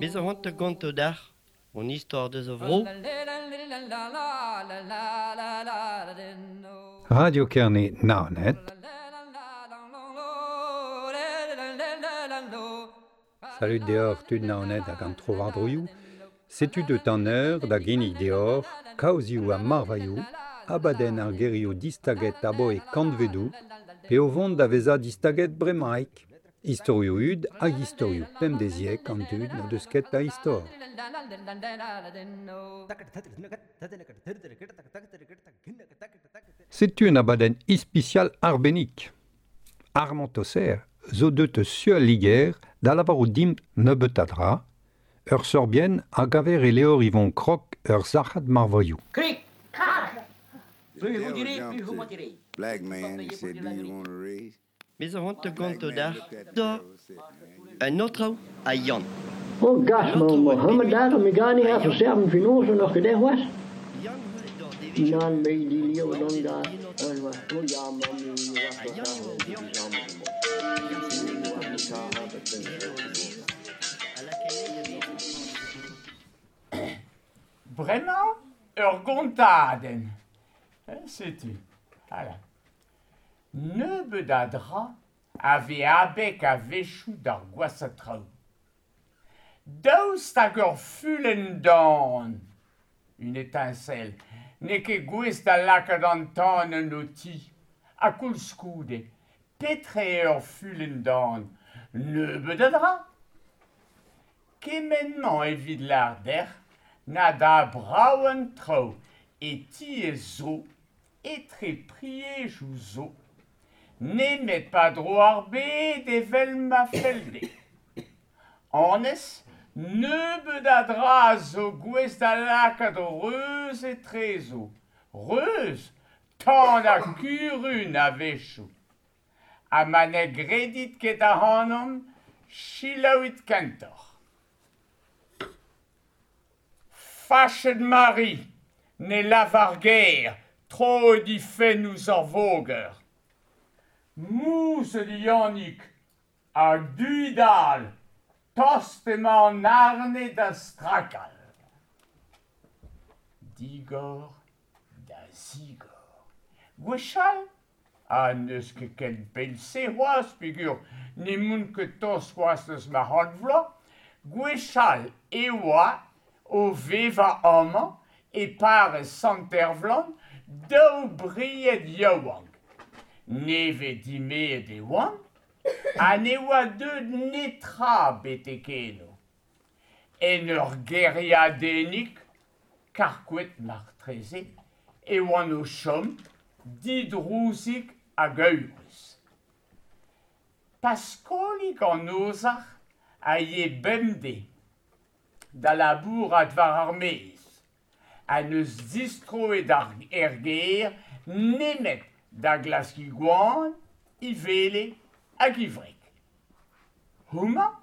Bez a c'hoant da gontañ deoc'h hon istor deus a vro. Radio Kerne Naoned. Salud deoc'h tud Naoned hag an trowardroioù. Setu deut an eur da ginnig deoc'h kaozioù ha marvailhoù, abadenn ar gerioù distaget aboe kantvedoù pe o vont da vezañ distaget bremaik. Istorioù hud hag istorioù pemdeziek an dud n'o deus ket a istor. Setu un abadenn ispisial arbennik. Armand Tosser zo deuet eus su al Liger da lavarout dimp nebeut a dra, ur sorbienn a gaver e levr Yvon Krok ur sac'had marvailhoù. Krik, krak! The Plus vous devil direz, jumped plus vous to mentirez. black Vous man and payez pour said, dire Do la you vérité. want a raise? Bez a c'hoant da Black gontañ man deoc'h looked at the da devil and said, Man, un aotrou ha Yann. Oh, gas, An ma aotrou a Mohammed bevet daar, mi gar niet ha af Yann. serben finoze nog gedacht was. Yann c'hoant d'ar devezhioù Nan, me die leeuw oa dan aozet daar. en aotrou. En was, oh ja, man, nu was Ha dat Yann daar, eo die Yann. samen. Yann Nu sevenet was an het daar, eure dat ben en ik. o zez a lakae da vezañ. Bremañ ur gontadenn. Setu. Ala. Nebeut a dra a vez abeg a-wechoù d'ar gwashañ traoù. Daoust hag ur fulenn dan, une étincelle, n'eo ket gouest da lakaat an tan en ho ti. Ha koulskoude, petra eo ur fulenn dan? Nebeut a dra. Kement-mañ evit lâr dec'h na da brav an traoù e tiez zo, etre priejoù zo, nemet pa dro ar bed evel ma fell dezhe. Anez, nebeut a dra zo gouest da lakaat reuz etrezo. Reuz, tan ha kurun a-wechoù. Ha ma ne gredit ket ac'hanon, selaouit kentoc'h. Fachet Mari, ne lavar ger, troet he fenn ouzh ar voger. Mouzhet Yannig ha du-dal, tost emañ an arne da strakal. Digor da zigor. Gwechall, ha n'eus ket ken pell-se c'hoazh peogwir n'emaon ket tost c'hoazh eus ma c'hant vloaz, gwechall e oa o vevañ amañ e parrez Sant-Ervlan daou bried yaouank. Nevez dimeet e oant ha ne oa deuet netra betek eno. En ur gêriadennig, karkouet martreze, e oant o chom, didrouzik hag eurus. Paskolig an ozhac'h a ye bemdez da labourat war ar maez. Ha n'eus distroet ar er gêr nemet da glask he goan, he wele hag he wreg. Houmañ,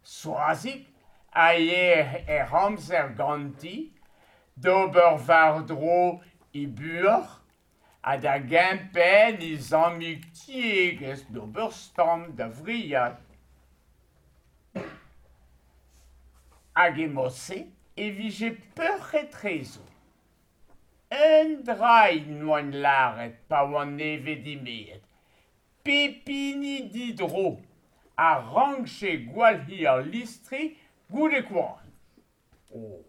Soazig, a ye er amzer ganti, d'ober war-dro he buoc'h, ha da gempenn he zammig tiegezh d'ober stamm da wriat. Hag e mod-se e vije peoc'h etrezo. Un dra n'oant lâret pa oant nevez dimeet. Pep hini didro a rankje gwalc'hiñ ar listri goude koan. Oh,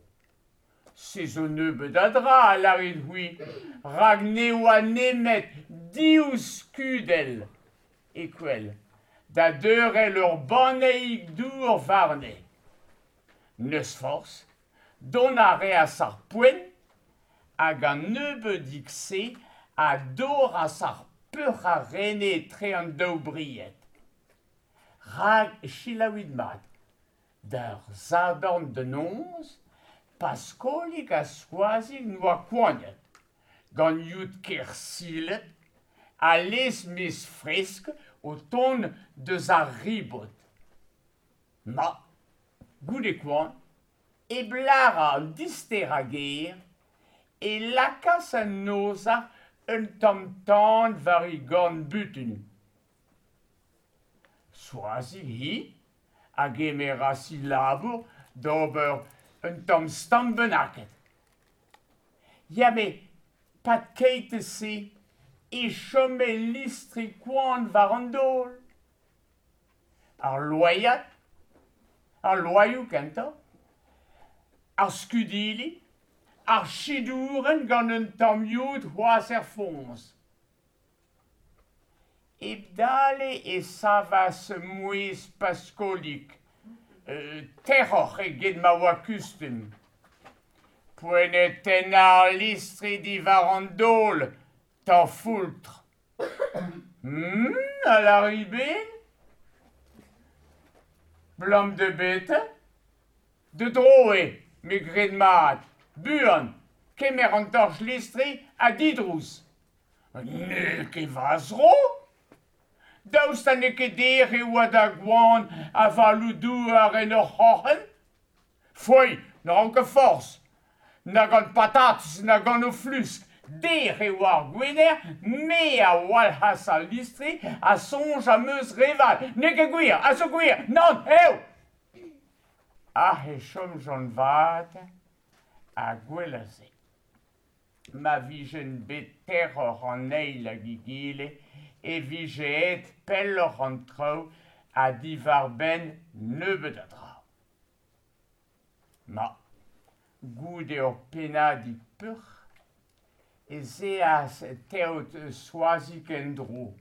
se zo nebeut a dra a lârit c'hwi, rak ne oa nemet div skudell e kwel, da deurel ur banneig dour warne. N'eus forzh, dont a reas ar poent hag an nebeudig-se a dorras ar peoc'h a rene etre an daou bried. Rak selaouit mat, d'ar Sadorn da noz, Paskolig ha Soazig n'oa koaniet, gant youd kersilet ha lez-mez fresk o tont deus ar ribot. Ma, goude koan, e blara an dister a gêr, e lakaas an ozhac'h un tamm tan war e gorn-butun. Soazig hi a gemeras he labour d'ober un tamm stank bennaket. Ya met 'pad keit-se e chome listri koant war an daol. Ar loaiad, ar loaioù kentañ, ar skudili, ar chidourenn gant un tamm yod c'hoazh er foñs. Hep dale e savas mouezh Paskolig, terroc'h eget ma oa kustum. Poent eo tennañ ar listri diwar an daol, tanfoeltr. A lâri ben? 'Blam da betra? Da dro eo, me 'gred mat. Buan, kemer an torch-listri ha didrouz. N'eo ket va zro! Daoust ha n'eo ket dec'h e oa da goan avaloù-douar en hor c'hroc'hen? Foei, ne ran ket forzh, na gant patatez na gant o flusk. Dec'h e oa ar Gwener, me a walc'has al listri ha soñj am eus re vat. N'eo ket gwir, a zo gwir, nann, eo! Ac'h e chomjont 'vat ha gwell a se. Ma vijent bet terroc'h an eil hag egile e vije aet pelloc'h an traoù ha diwar-benn nebeut a dra. Ma, goude ur pennadig peuc'h ez eas teod Soazig en-dro.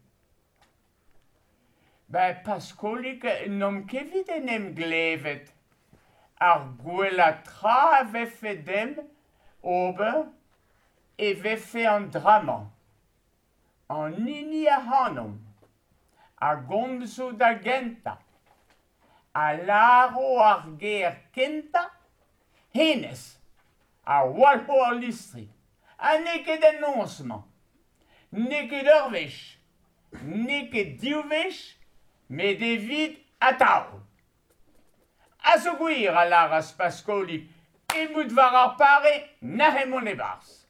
Ben, Paskolig, n'omp ket evit en em glevet. Ar gwellañ tra a vefe demp ober e vefe an dra-mañ. An hini ac'hanomp a gomzo da gentañ, a lâro ar ger kentañ, hennezh a walc'ho al listri. Ha n'eo ket en noz-mañ, n'eo ket ur wech, n'eo ket div wech, met evit atav. A zo gwir, a lâras Paskolig, emout war ar pare, nac'h mont e-barzh.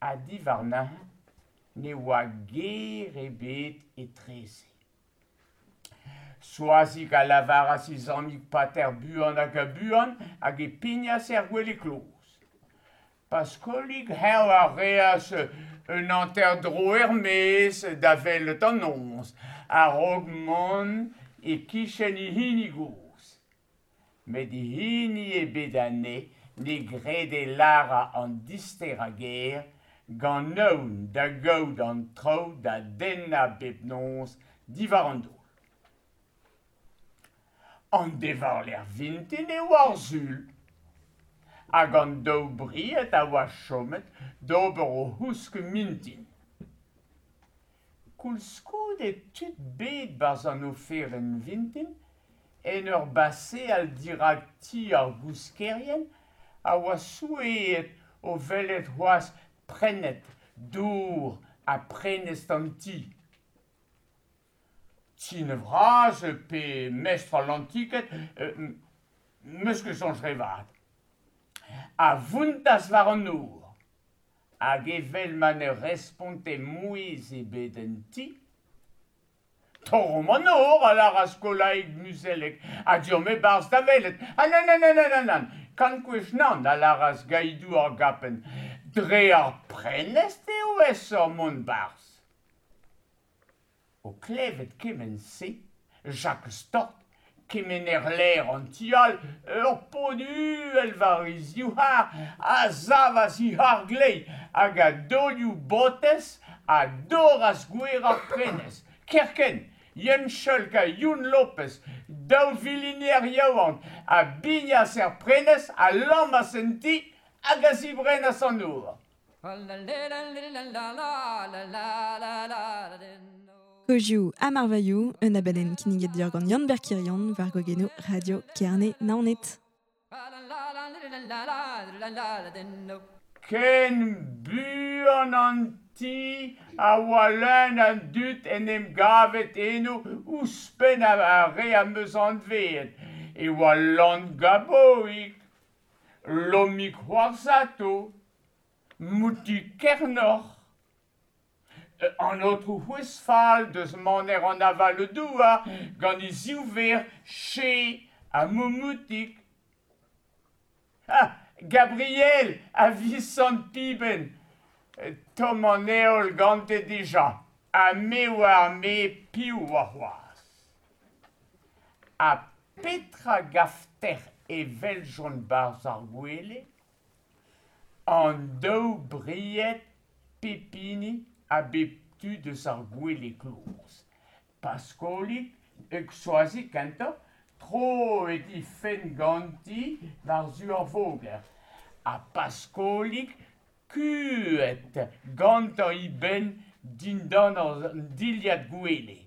Ha diwar neuze ne oa ger ebet etreze. Soazig a lavaras he zammig pater buan hag ha buan hag e pignas er gwele-kloz. Paskolig eñ a reas un hanter-dro er-maez da welet an noz a-raok mont e-kichen e hini gozh. Met hini ebet anezhe ne grede lârañ an disterañ ger gant aon da gaout an traoù da dennañ bep noz diwar an daol. An dewarlerc'h vintin e oa ar Sul. Hag an daou bried a oa chomet d'ober o c'housk mintin. Koulskoude tud bet 'barzh an oferenn vintin en ur baseal dirak ti ar gouskerien a oa souezhet o welet c'hoazh prennet dour ha prenestr an ti. Tine vras pe mestr al lantiked, 'meus ket soñj re vat, a vountas war an nor, hag evel ma ne responte mouezh ebet en ti, Torromp an nor, a lâras Kolaig Muzellek, ha deomp e-barzh da welet. Ha nann, nann, nann, nann, nann, kant gwech nann, a lâras Gaidou ar Gapenn, dre ar prenestr eo aesoc'h mont 'barzh. O klevet kement-se, Jakez Tort, kemener-lêr an ti all, ur pod uhel war e zivc'har, a savas e c'har gleiz hag a daolioù botez a dorras gwer ar prenestr. Kerkent, Yann Cholk ha Youn Lopez, daou viliner yaouank, a bignas er prenestr, a lammas en ti hag a zibrennas an nor. Kozioù ha marvailhoù, un abadenn kinniget deoc'h gant Yann-Ber Kirion war gwagennoù Radio Kerne Naoned. Ken buan an ti a oa leun a dud en em gavet eno ouzhpenn ar re am eus anveet e oa Lan Gaboig, Lomig C'hoarzhato, Moutig Kernoc'h, An aotrou C'hwezfal deus maner an aval-douar gant e ziv verc'h Che ha Moumoutig. Ha Gabriel a Visant Pibenn, tomm an heol gante dija, ha me oar me piv oa c'hoazh. Ha petra gaftec'h e weljont 'barzh ar gwele? An daou bried pep hini a bep tu deus ar gwele kloz. Paskolig hag Soazig kentoc'h, troet he fenn ganti war-zu ar voger, ha Paskolig kuhet gantañ e benn dindan an dilhad gwele.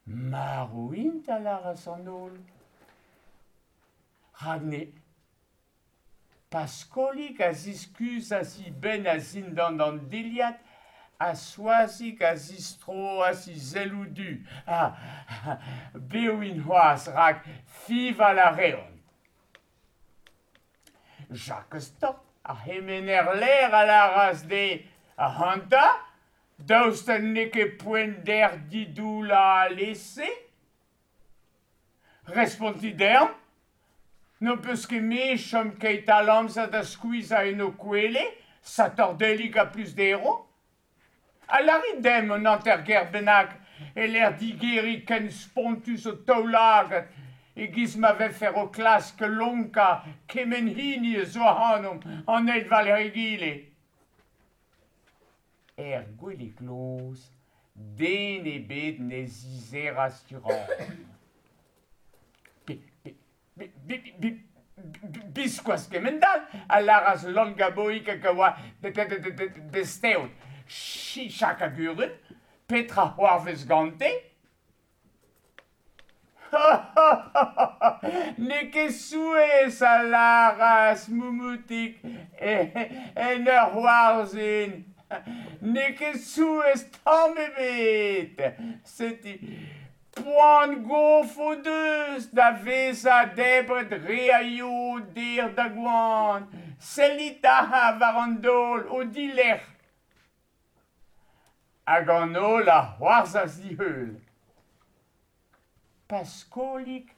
Marv int, a lâras an holl. Rak ne Paskolig a ziskuzas e benn a-zindan an dilhad ha Soazig a zistroas he selloù du. Ha bev int c'hoazh rak fiñval a reont. Jakez Tort, ar c'hemener lêr a lâras dezhe, Ac'hanta, daoust ha n'eo ket poent deoc'h didoullañ alese? Respontit dezhañ. N'ho peus ket me chom keit all amzer da skuizhañ en ho kwele, satordellig ha plus dero? Ha lârit demp un hanter-ger bennak e-lec'h digeriñ ken spontus ho taoulagad e-giz ma vefer o klask lonkañ kement hini a zo ac'hanomp an eil war-lerc'h egile. Er gwele-kloz, den ebet ne zizeras dirak. Biskoazh kemend-all, a lâras Lan Gaboig hag a oa besteod. Chichak a gurun, petra c'hoarvez gante? N'eo ket souezh, a lâras Moumoutig en ur c'hoarzhin. N'eo ket souezh tamm ebet. Setu Poan gof o deus da vezañ debret re a yod dec'h da goan. Sellit aze war an daol, o dilerc'h. Hag an holl a c'hoarzhas d'e heul. Paskolig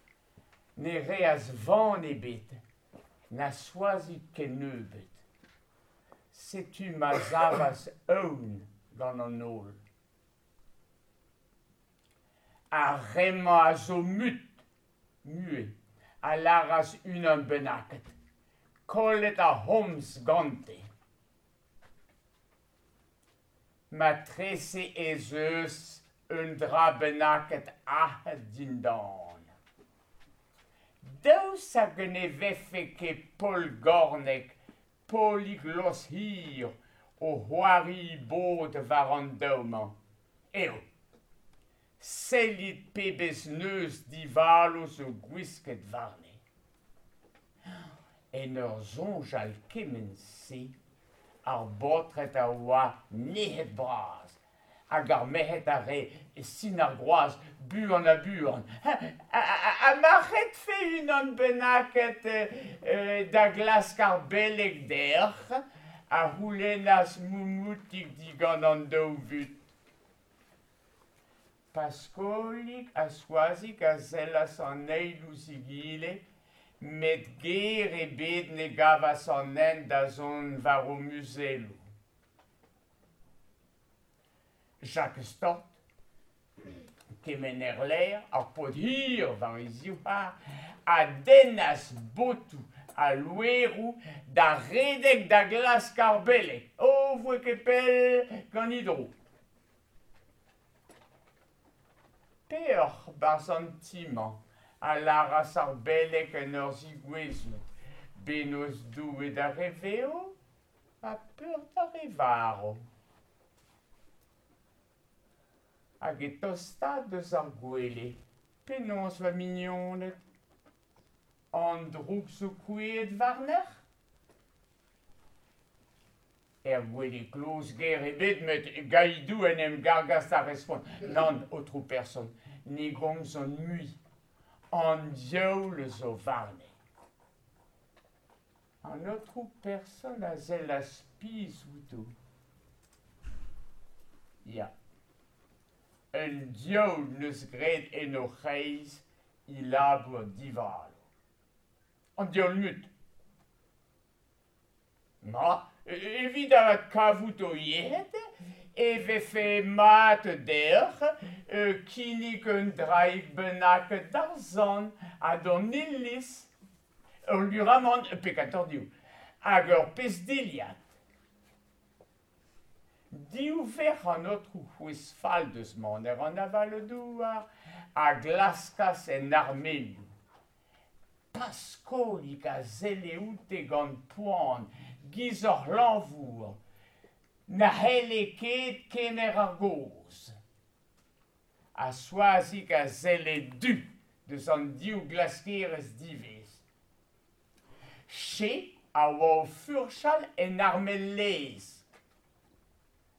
ne reas van ebet, na Soazig kennebeut. Setu ma savas aon gant an holl. Ar re-mañ a zo mut, muet, a lâras unan bennaket. Kollet ar c'homz gante. Matrese ez eus un dra bennaket aet dindan. Daoust hag ne vefe ket Paol Gornek, Paolig Lost-Hir o c'hoari bod war an daou-mañ? Eo. Sellit pebezh neuz divalo zo gwisket warne. En ur soñjal kement-se, ar baotred a oa nec'het-bras hag ar merc'hed a rae sin ar groaz buan ha buan. Ha ma redfe unan bennaket da glask ar beleg deoc'h? a c'houlennas Moumoutig digant an daou vut. Paskolig ha Soazig a sellas an eil ouzh egile, met ger ebet ne gavas an hent da zont war o muzelloù. Jakez Tort, kemener-lêr, ar paotr hir war e zivc'har, a dennas botoù ha loeroù da redek da glask ar beleg. O voe ket pell gant e dro. Peoc'h 'barzh an ti-mañ, a lâras ar beleg en ur zegouezhout, bennozh Doue d'ar re vev ha peoc'h d'ar re varv. Hag e tostaat deus ar gwele, penaos va mignoned? An droug zo kouezhet warnec'h? Er gwele-kloz ger ebet met Gaidou en em gargas da respont Nann, aotrou person, ne gomzan mui. An diaoul zo warne. An aotrou person a sellas pizh outo. Ya. Un diaoul 'neus graet en o c'hreiz e labour divalo. An diaoul mut. Ma, evit kavout ho yec'hed e vefe mat deoc'h kinnig un draig bennak d'ar sant ha d'an iliz, ul lur-amann pe kentoc'h div, hag ur pezh dilhad. Div verc'h an aotrou c'hwezh fall deus maner an avaloù-douar a glaskas en armelioù. Paskolig a selle oute gant poan, giz ur c'hlañvour, na c'helle ket kemer ar gaoz. Ha Soazig a selle du deus an div glaskerez diwezh. Che a oa o furchal en armel-laezh.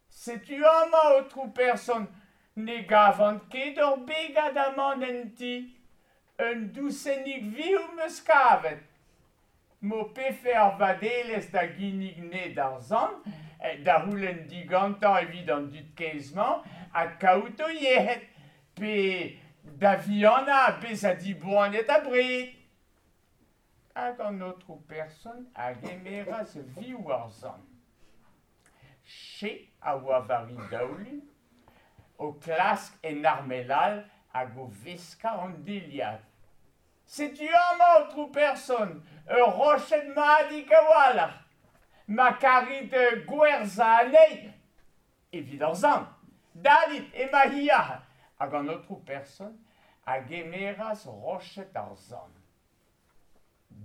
Setu amañ, aotrou person, ne gavan ket ur begad amann en ti. Un dousennig vioù 'm eus kavet. M'ho pefe ar vadelezh da ginnig 'ne d'ar sant, da c'houlenn digantañ evit an dud kaezh-mañ adkaout o yec'hed, pe da vihanañ bezañ diboaniet abred. Hag an aotrou person a gemeras vioù ar sant. Che a oa war e daoulin, o klask en armel all hag o veskañ an dilhad. Setu amañ, aotrou person, ur roched madik a-walc'h. Ma karit gwerzhañ anezhi evit ar sant, dalit emañ-hi aze. Hag an aotrou person a gemeras roched ar sant.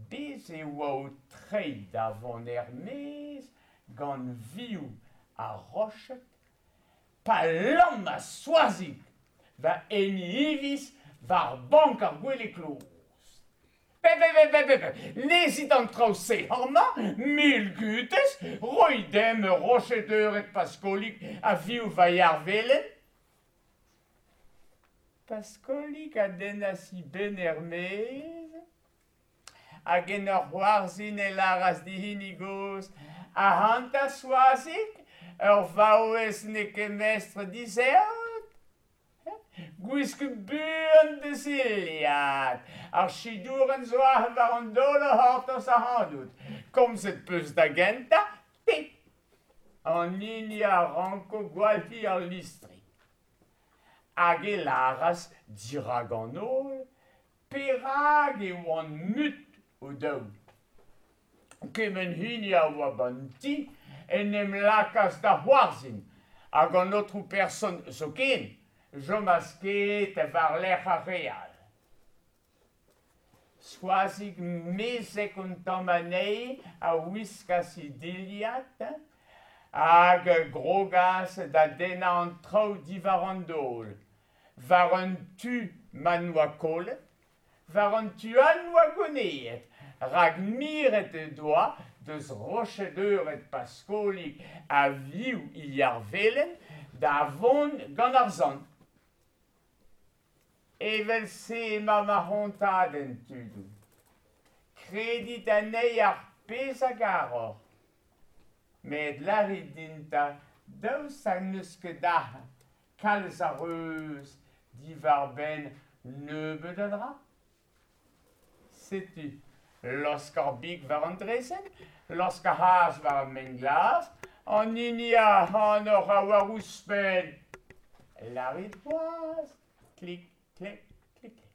Bez' e oa o treiñ da vont er-maez gant vioù ar roched pa lammas Soazig war en hiviz war bank ar gwele-kloz. Pe, pe, pe, pe, pe, pe, lezit an traoù-se amañ, mil gutez, roit dimp ur roched eured Paskolig ha vioù va yar velen. Paskolig a dennas e benn er-maez hag en ur c'hoarzhin e lâras d'e hini gozh, Ac'hanta Soazig, ur vaouez n'eo ket mestr d'he zeod? Gwisk buan da zilhad, ar chidourenn zo aze war an daol o c'hortoz ac'hanout. Komzet 'peus da gentañ, te an hini a ranko gwalc'hiñ al listri. Hag e lâras dirak an holl perak e oant mut o-daou. Kement hini a oa ba'n ti en em lakaas da c'hoarzhin, hag an aotrou person zoken 'chomas ket war-lerc'h ar re all. Soazig mezhek un tamm anezhi a wiskas he dilhad hag a grogas da dennañ an traoù diwar an daol. War un tu ma 'noa kollet, war an tu all 'noa goneet, rak miret he doa deus roched-eured Paskolig ha vioù he yar velen da vont gant ar sant. Evel-se emañ ma c'hontadenn, tudoù. Kredit anezhi ar pezh a garoc'h. Met lârit din 'ta daoust ha n'eus ket aze kalz a reuz diwar-benn nebeut a dra? Setu laosk ar big war an draezhenn, laosk ar c'hazh war ar maen-glas, an hini ac'hanoc'h a oar ouzhpenn. Lârit c'hoazh, klik, klik, klik, klik.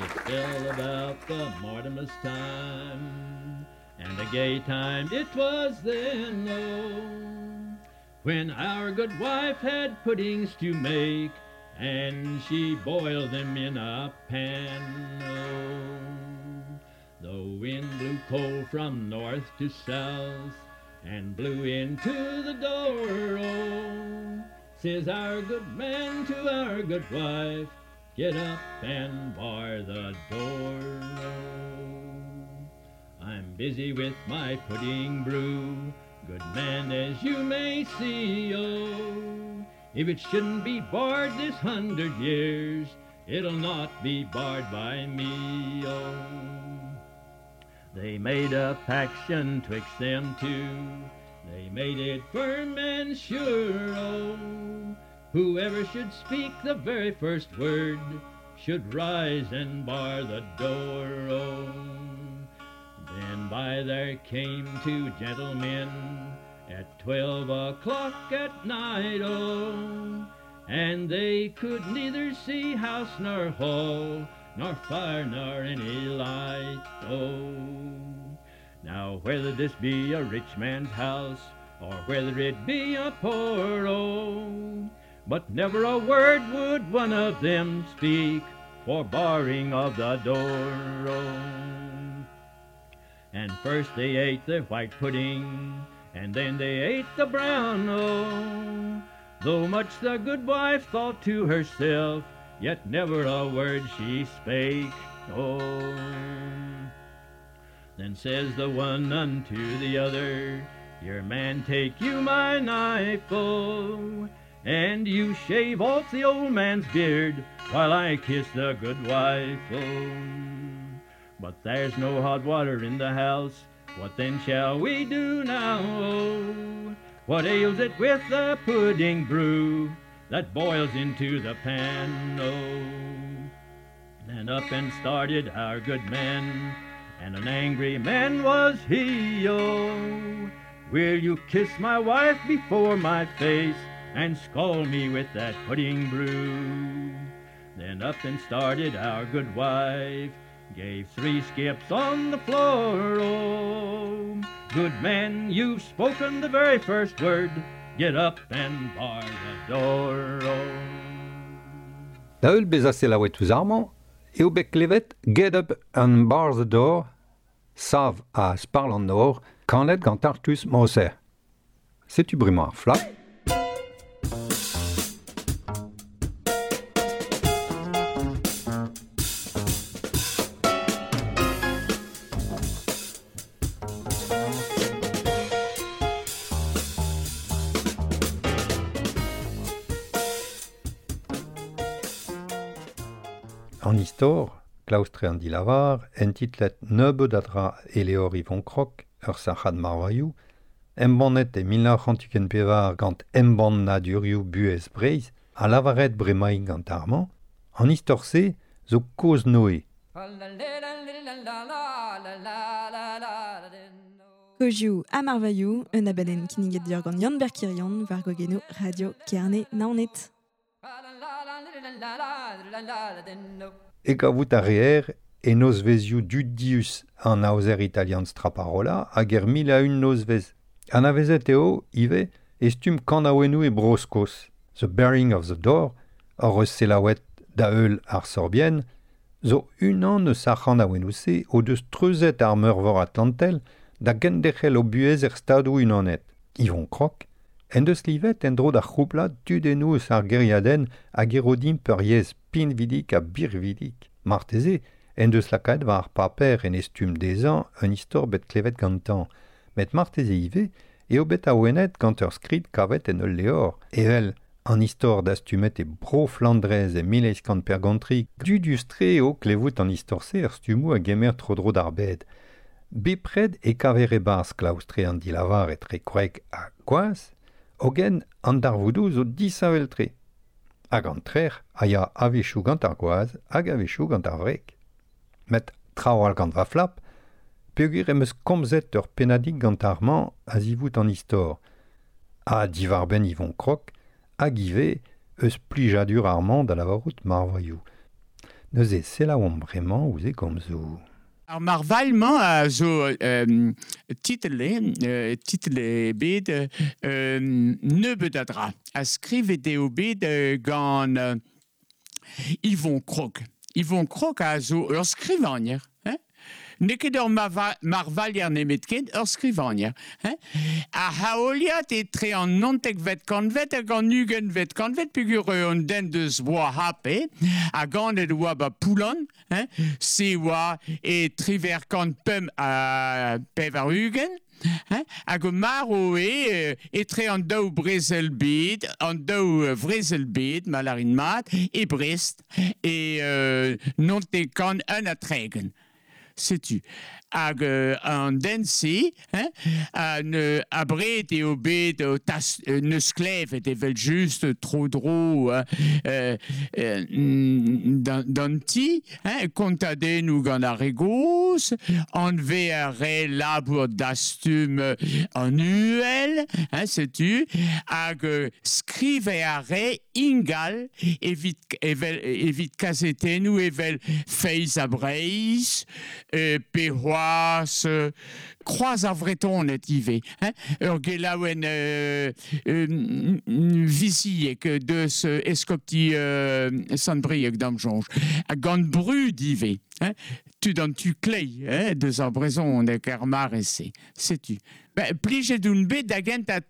It fell about the Martinmas time, and a gay time it was then, oh, when our good wife had puddings to make, and she boiled them in a pan, oh. The wind blew cold from north to south, and blew into the door, oh. Says our good man to our good wife, get up and bar the door, oh. I'm busy with my pudding brew, good man, as you may see, oh. If it shouldn't be barred this 100 years, it'll not be barred by me, oh. They made a paction twixt them two, they made it firm and sure, oh. Whoever should speak the very first word should rise and bar the door, oh. Then by there came two gentlemen at 12 o'clock at night, oh. And they could neither see house nor hall, nor fire nor any light, oh. Now whether this be a rich man's house, or whether it be a poor, oh, but never a word would one of them speak for barring of the door, oh. And first they ate the white pudding, and then they ate the brown, oh. Though much the good wife thought to herself, yet never a word she spake, oh. Then says the one unto the other, Your man take you my knife, oh, and you shave off the old man's beard while I kiss the good wife, oh. But there's no hot water in the house, what then shall we do now, oh? What ails it with the pudding brew that boils into the pan, oh? Then up and started our good man, and an angry man was he, oh. Will you kiss my wife before my face and scald me with that pudding brew? Then up and started our good wife, gave 3 skips on the floor, oh. Good man, you've spoken the very first word, get up and bar the door, oh. Da heul bezañ selaouet ouzh ar-mañ, eo bet klevet Get Up and Bar the Door, sav a sparl an nor, kanet gant Artus Moser. Setu bremañ ar flap. An istor, klaustre an dilavar, entitlet nebeud a dra Eleor Yvon Krok, ur sac'had marvailhoù, embannet e 1924 gant embann nadurioù buhez Breizh, a lavaret bremaik gant ar-mañ, an istor-se zo kozh Noe. Kozioù ha marvailhoù, un abadenn kinniget deoc'h gant Yann Berkirion war gogenoù Radio Kerne Naoned. E gavout a reer e nozvezioù dudius an aozer italian Straparola hag er 1001 nozvez. Anavezet eo ivez e stumm kanaouennoù e Bro-Skos. The Bearing of the Door, hor eus selaouet da heul ar Sorbien, zo unan eus ar c'hanaouennoù-se o deus treuzet ar meurvor Atlantel da genderc'hel o buhez er stadoù unanet. Yvon Krok, en deus livet en-dro d'ar c'houplad tudennoù eus ar gêriadenn hag erodim peuriezh pinvidik ha birvidik. Marteze, en deus lakaet war ar paper en e stumm dezhañ un istor bet klevet gantañ. Met marteze ivez eo bet awenet gant ur skrid kavet en ul levr. Evel an istor dastumet e Bro-Flandrez e 1853, dudius-tre eo klevout an istor-se er stummoù a gemer tro-dro d'ar bed. Bepred e kaver e-barzh klaoustre an dilavar etre kwreg ha gwaz, hogen an darvoudoù zo disheñvel-tre. Hag an trec'h a ya a-wechoù gant ar gwaz hag a-wechoù gant ar wreg. Met traoù all gant va flap, peogwir em eus komzet ur pennadig gant ar-mañ a zivout an istor. Ha diwar-benn Yvon Krok hag ivez eus plijadur ar-mañ da lavarout marvailhoù. Neuze selaouomp bremañ ouzh e gomzoù. Ar marvailh-mañ a zo titel bet nebeud a dra. A skrivet eo bet gant Yvon Krok. Yvon Krok a zo ur skrivagner. Hein? N'eo ket ur marvailher nemet ket, ur skrivagner. Hein? A haoliad etre an 19vet kantved hag an 20vet kantved, peogwir an den deus oa hape, ha ganet oa ba Poulan, hein? Se oa e triver kant pemp ha pevar ugent, hein? Hag o marv eo etre an daou brezel bed, an daou vrezel bed, ma larin mat, e Brest, e 91 ha 30. Setu. Hag an den-se, hein, an abred eo bet tas, neus klevet evel just tro-dro d'an ti, hein, kontadennoù gant ar re gozh, anve ar re labour dastum an uhel, hein, setu, hag skrive ar re ingal evit, evel, evit kazetennoù evel Feiz ha Breizh, pe c'hoazh Kroaz ar Vretoned ivez, hein, ur gelaouenn viziek deus eskopti Sant-Brieg d'am soñj, ha gant brud ivez, hein, tud an tu klei, hein, deus ar brezhoneg ar mare-se, setu. Ben, plijet oun bet da gentañ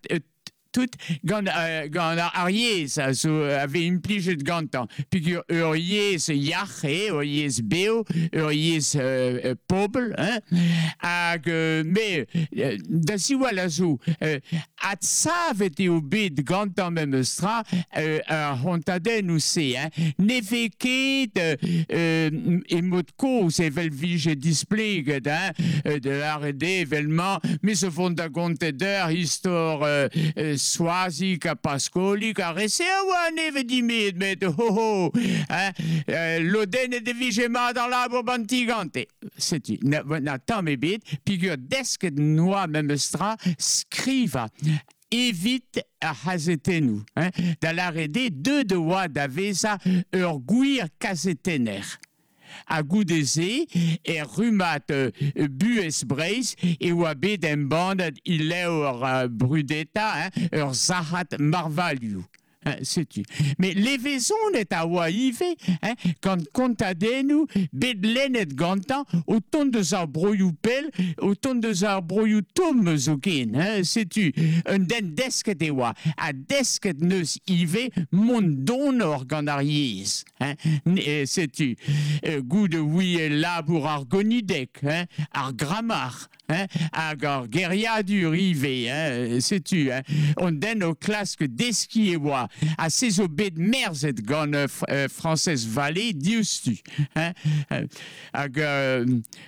tout gant, gant ar yezh a zo a vez implijet gantañ. Peogwir ur yezh yac'h eo, ur yezh bev, ur yezh pobl, hein, hag me da ziwall a zo adsavet eo bet gantañ memes tra ar c'hontadennoù-se, hein. Ne vez ket e mod kozh evel vije displeget, hein, de lâret eo evel-mañ, me zo vont da gontet d'ur istor Soazig ha Paskolig a rese a oa nevez dimet, met ho ho, hein, lodennet e vije mat ar labour banti gante. Setu, na tamm ebet, peogwir desket noa memes tra skrivañ evit ar c'hazetennoù, hein, da lâret eo deuet oa da vezañ ur gwir kazetenner. Ha goude-se, er rummad Buhez Breizh e oa bet embannet ileur brudeta, hein, ur sac'had marvalioù. Hein, setu. Mais levezonet a oa ivez, hein, gant kontadennoù bet lennet gantañ o tont deus ar broioù pell, o tont deus ar broioù tomm zoken, hein, setu. Un den desket e oa, ha desket neus ivez mont donor gant ar yezh, hein, setu. Goude ouie labour ar gonideg, hein, ar grammar, hein, hag ar geriadur ivez, hein, setu, hein. On den o klask deskiñ e oa, ha se zo bet merzet gant Frañsez Vallée diouzhtu, hein, hag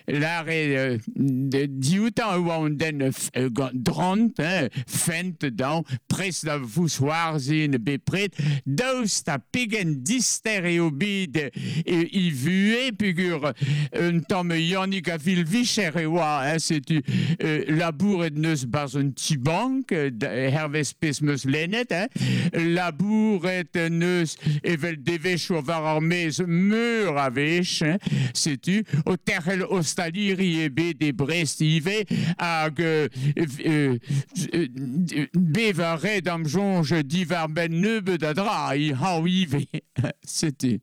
lâret dioutañ e oa on den gant drant, hein, fent dañ, prest da vousc'hoarzhin bepred, daoust ha pegen dister eo bet e vuhez, peogwir un tamm Yannig a vil-vicher e oa, hein, setu labouret neus barzh un ti-bank, hervez pezh meus lennet, hein, labouret neus evel devezhioù war ar maez meur a wech, hein, setu, o terc'hel ostaliri ebet e Brest ivez, hag bev a red am soñj diwar-benn nebeut a dra, i hañv ivez, setu.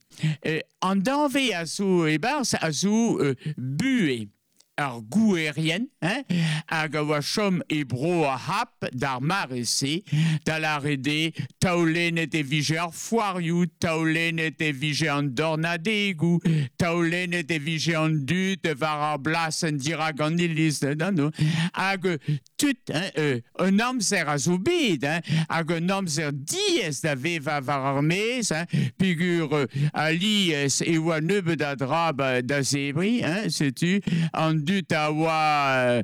An danvez a zo e-barzh a zo buhez ar gouerien, hein, hag a oa chom e bro ar C'hap d'ar mare-se, da lâret eo taolennet e vije ar foarioù, taolennet e vije an dornadegoù, taolennet e vije an dud war ar blasenn dirak an iliz, non, hag tud, hein, un amzer a zo bet, hein, hag un amzer diaes da vevañ war ar maez, hein, peogwir alies e oa nebeut a dra da zebriñ, hein, setu, an dud a oa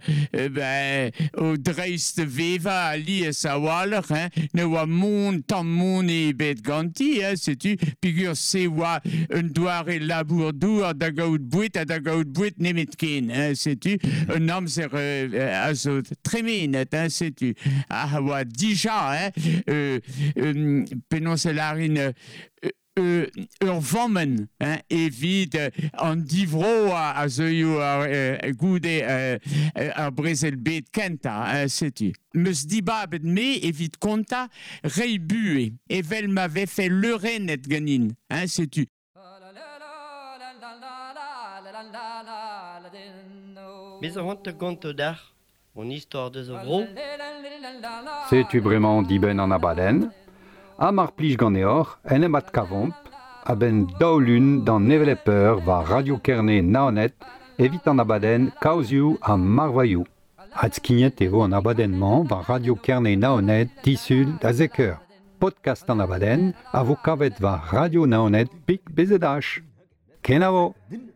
ben, o dreist vevañ alies a-walc'h, hein, ne oa mont tamm mont ebet ganti, hein, setu, peogwir se oa un doare labour-douar da gaout boued ha da gaout boued nemetken, hein, setu, un amzer a zo tremenet, hein, setu, a oa dija, hein, penaos e lârin ur vammenn, hein, evit an divro a zeuio ar goude ar brezel bet kentañ, hein, setu. Meus dibabet me evit kontañ reiñ buhez, evel ma vefe leurennet ganin, hein, setu. Me zo c'hoant da gontañ deoc'h hon istor deus ar vro. Setu bremañ dibenn an abadenn. Ha mar plij ganeoc'h, en em adkavomp, a-benn daou lun d'an hevelep eur war Radio Kerne Naoned evit an abadenn Kaozioù ha Marvailhoù. Adskignet eo an abadenn-mañ war Radio Kerne Naoned disul da zek eur. Podcast an abadenn a vo kavet war Radio Naoned pik BZH. Kenavo!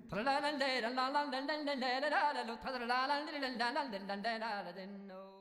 Tra la la la la. la la la la la la la la la la la la la.